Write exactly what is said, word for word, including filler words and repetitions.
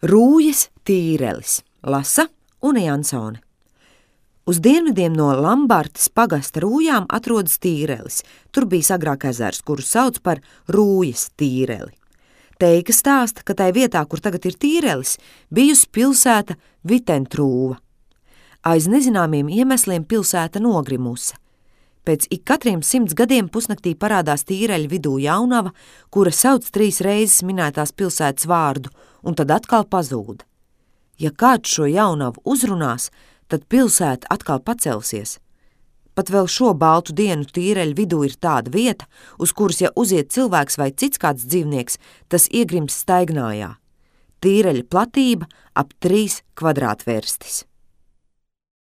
Rūjas Tīrelis, lasa Une Jansone. Uz dienvidiem no Lambartes pagasta Rūjām atrodas Tīrelis. Tur bija agrāk ezers, kuru sauc par Rūjas Tīreli. Teika stāsta, ka tai vietā, kur tagad ir Tīrelis, bijusi pilsēta Vitentrūva. Aiz nezināmiem iemesliem pilsēta nogrimuse. Pēc ik katriem simts gadiem pusnaktī parādās Tīreļa vidū jaunava, kura sauc trīs reizes minētās pilsētas vārdu, un tad atkal pazūd. Ja kāds šo jaunavu uzrunās, tad pilsēta atkal pacelsies. Pat vēl šo baltu dienu Tīreļa vidū ir tāda vieta, uz kuras, ja uziet cilvēks vai cits kāds dzīvnieks, tas iegrims staignājā. Tīreļa platība ap trīs kvadrātvērstis.